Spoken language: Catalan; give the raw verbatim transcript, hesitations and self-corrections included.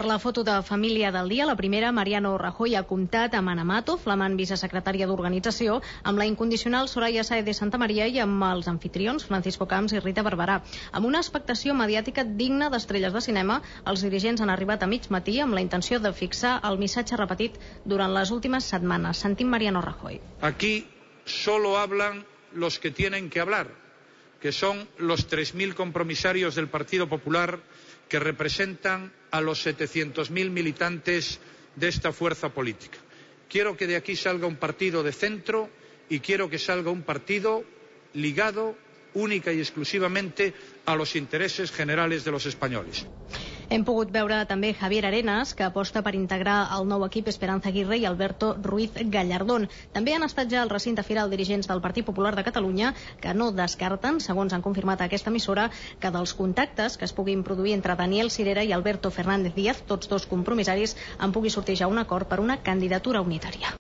la foto de família del dia, la primera, Mariano Rajoy ha comptat amb Ana Mato, flamant vicesecretària d'Organització, amb la incondicional Soraya Sáez de Santamaría i amb els anfitrions Francisco Camps i Rita Barberà. Amb una expectació mediàtica digna d'estrelles de cinema, els dirigents han arribat a mig matí amb la intenció de fixar el missatge repetit durant les últimes setmanes. Sentim Mariano Rajoy. Aquí solo hablan los que tienen que hablar, que son los tres mil compromisarios del Partido Popular que representan a los setecientos mil militantes de esta fuerza política. Quiero que de aquí salga un partido de centro y quiero que salga un partido ligado única y exclusivamente a los intereses generales de los españoles. Hem pogut veure també Javier Arenas, que aposta per integrar el nou equip Esperanza Aguirre i Alberto Ruiz Gallardón. També han estat ja al recinte firal dirigents del Partit Popular de Catalunya, que no descarten, segons han confirmat a aquesta emissora, que dels contactes que es puguin produir entre Daniel Sirera i Alberto Fernández Díaz, tots dos compromissaris, en pugui sortir ja un acord per una candidatura unitària.